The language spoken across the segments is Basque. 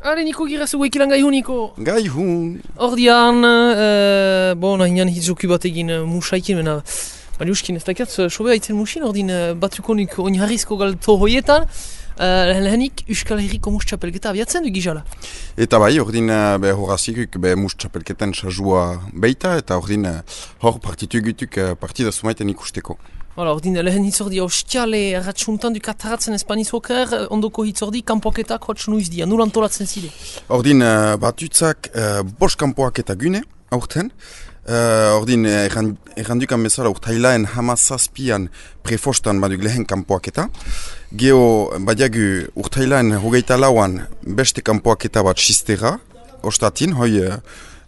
Are, Niko girazu guekilan gai hun, Niko. Gai hun. Ordian, nahian hitzoku bat egin musaikin, mena, baliuskin ez dakiat, sobe haitzen musin, ordin batukonik oinharrizko galto hoietan, lehenik Euskal Herriko mus txapelketa abiatzen du gizala. Eta bai, ordin horazikuk mus txapelketan sajua beita, eta ordin hor partitu egituk partida sumaiten ikusteko. Hala, ordin lehen hitzordi ostiale erratxuntan du kataratzen Espaniz hoker, ondoko hitzordi kanpoketak hotx nuiz dia, nul antolatzen zide? Ordin batutzak bost kanpoak eta gune, aurten. Ordin errandukan bezala urtailaen hamazazpian prefostan baduk lehen kanpoaketa. Geo badiagu urtailaen hogeita lauan beste kanpoaketa bat sistera, ostatin, hoi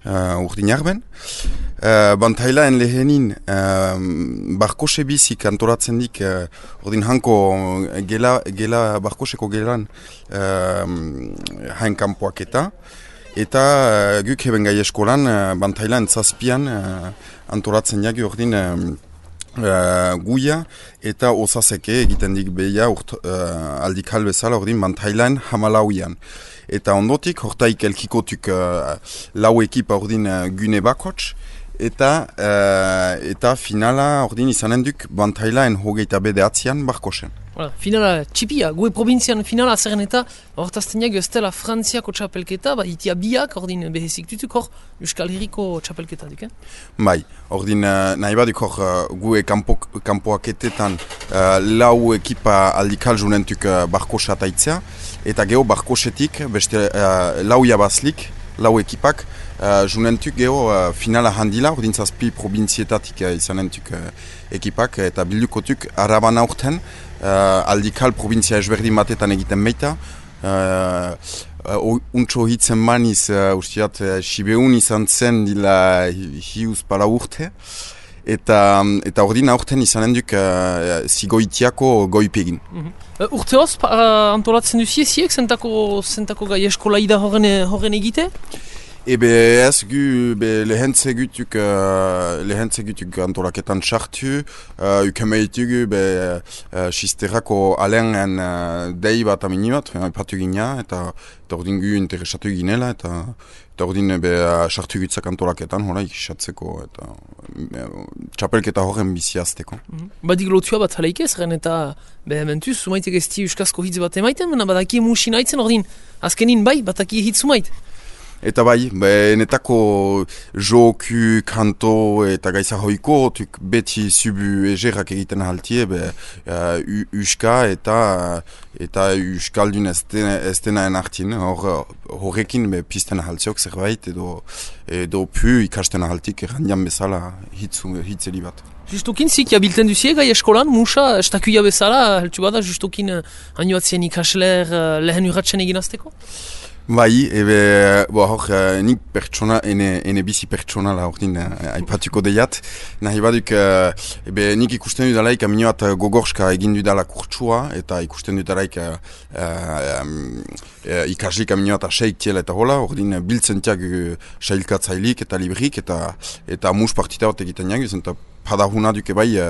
urdin jarben. Bantailaen lehenin barkose bizik antolatzen dik, ordin hanko gela barkoseko gelan hain kanpoaketa. Eta guk heben gai eskolan, bantailan zazpian antolatzen jagi ordin guia eta osazeke egiten dik behia aldik halbezala ordin bantailan hamalauian. Eta ondotik, hortaik elkikotuk lau ekipa ordin gune bakots, eta finala ordin izanen duk bantailaen hogeita bedeatzean barkosen. Voilà, finala txipia, gue provintzian finala zerren eta hortazten ez dela Frantziako txapelketa, itia biak ordin behezik dutuk hor Euskal Herriko txapelketa duk, Bai, ordin nahi baduk hor gue kanpoaketetan lau ekipa aldikal junentuk barkosa taitzea, eta geho barkosetik beste lau jabazlik, lau ekipak, junentuk geho finala handila, ordin zazpi provintzietatik izanentuk ekipak, eta bildukotuk araban aurten, aldikal provintzia ezberdin batetan egiten baita. Untxo hitzen maniz, ustiat, Sibeun izan zen dila hiuz pala urte. Eta ordin aurten izanen duk zigoitiako goipegin. Urteoz antolatzen duzieziek, zentako gai eskolaida horren egite? Ebe ez gu lehentzegutuk antolaketan txartu, ukemeitu sisterako alen dei bat amini bat, ipatu gina, eta ordin gu interesatu ginela, eta ordin sartu gutzak antolaketan, hola ikisatzeko, eta txapelketa horren biziazteko. Badik lotua bat halaik ez, eta behementuz, sumaitek ez di euskazko hitz bat emaiten, baina badaki musin haitzen ordin, azkenin bai, bataki hitz sumait. Eta bai, netako joku, kanto eta gaiza hoiko, beti zubu egerak egiten haltie, uska eta uskaldun ez denaen hartin, horrekin pizten haltziok zerbait, edo pu ikasten haltik errandian bezala hitzeli bat. Justokin zik jabilten duzie gai eskolan, musa, estakuia bezala, heltu bada, justokin hainoatzen ikasler lehen urratzen egin azteko? Bai, hor, nik pertsona, ene bizi pertsonala ordin aipatuko deiat. Nahi baduk, nik ikusten dudalaik aminoat gogorska egin dudala kurtsua, eta ikusten dudalaik ikaslik aminoat aseiktiela eta hola, ordin biltzen tiag sailkatzailik eta librik, eta mus partita bat egiten jagiz, eta padahuna duke bai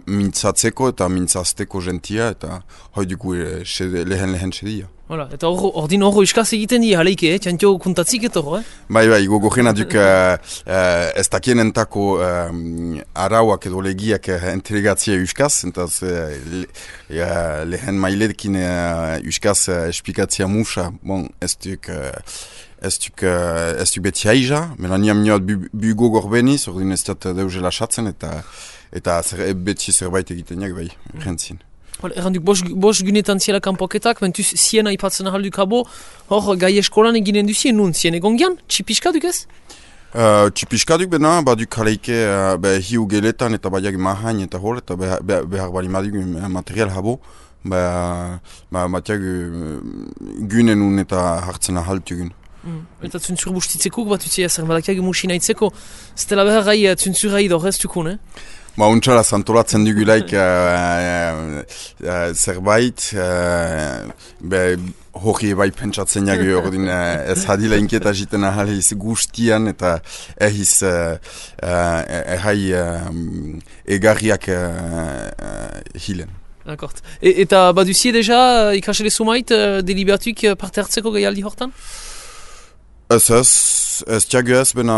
mintzatzeko eta mintzazteko gentia, eta hoi dugu lehen sedia. Voilà, eta ordin horro iskaz egiten di haleike, txantio kuntatzik eta horro, Bai, gogorrena duk ez dakienentako arauak edo legiak entregatzia euskaz, entaz lehen mailedekin euskaz esplikatzia musa, bon, ez duk beti haiza, mena niam nioat bu gogor beniz, ordin ez dut deuzela satzen, eta beti zerbait egiten jak, bai, rentzin. Erranduk bos gunetan ziela kanpoketak, mentuz ziena ipatzen ahalduk abo, hor gai eskolan eginen duzien nun, zien egon gian, txipiskaduk ez? Txipiskaduk bena, baduk haleike hiu geletan eta badiak mahain eta hor, eta behar bali maduk material habo, batiak gunen nun eta hartzen ahaltugun. Eta zuntzur bustitzeko bat utzia zer, badakiak musina itzeko, ztela behar gai zuntzura idor ez dukun, Untxala zantolatzen dugulaik zerbait, hori bai pentsatzen jagu ordin ez hadila inkieta jiten ahaliz guztian eta ehiz egai egarriak hilen. Akort. Eta baduzie deja ikasle sumait deliberatuk parte hartzeko gaialdi hortan? Ez tiagu ez, bena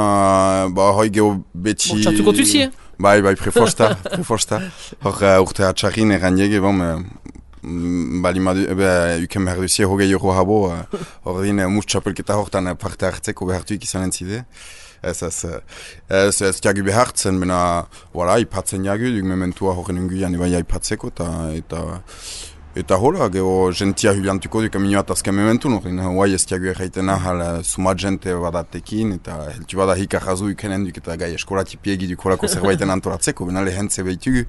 hoi geho beti... Txartuko tuzie? Bai, preforsta. Hor urte atxarrin eran jege, bali madu, uken behar duzie hogei euro habo, hor din mus txapelketa hortan parte hartzeko behartuik izan entzide. Ez tiagu behartzen, bena, ipatzen jagu, duk mementua horren unguian eba ipatzeko, eta hola, geho gentia huliantuko duk aminoat azken mementu, norin, huai ez tiagu erraiten ahal sumat jente badatekin, eta heltu bada hika jazu ukenen duk eta gai eskolatipiegi duk holako zerbaiten antolatzeko, bena lehentze behitugu,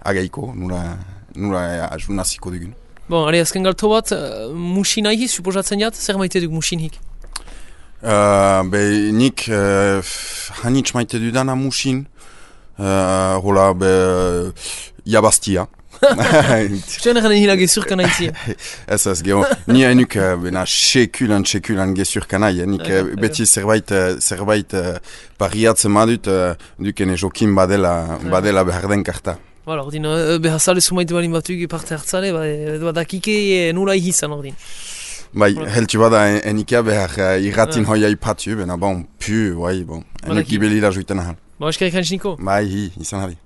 agaiko, nura naziko dugun. Bon, azken galto bat, musin ahi, suposatzen jat, zer maite duk musin hik? Nik hanitz maite dudana musin, hola, jabaztia. Zuen egan egin gezurkan haitzi? Ez, geho, ni hainuk sekulan gezurkan hain, nik beti zerbait pariatzen madut, dukene jokin badela behar den karta. Hala, ordin, behazale sumaite balin batuk parte hartzale, badakike nula ihizan ordin. Bai, heltu bada enikea behar irratin hoia ipatu, bena pu, enik gibelila juiten ahal. Ba, eskerik hantziko? Bai, izan hari.